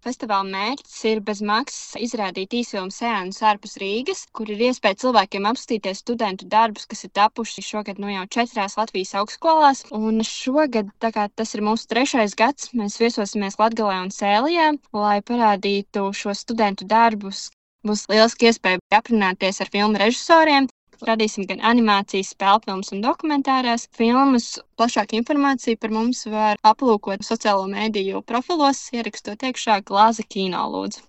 Festivāla mērķis ir bez maksas izrādīt īsfilmu seansus ārpus Rīgas, kur ir iespēja cilvēkiem apskatīties studentu darbus, kas ir tapuši šogad jau 4 Latvijas augstskolās. Un šogad, tā kā tas ir mūsu 3. gads, mēs viesosimies Latgalē un Sēlijā, lai parādītu šos studentu darbus. Būs lieliski iespēja aprunāties ar filmu režisoriem. Radīsim gan animācijas, spēlfilmas un dokumentārās filmas. Plašāku informāciju par mums var aplūkot sociālo mēdīju profilos, ierakstot iekšā Glāze kino, lūdzu.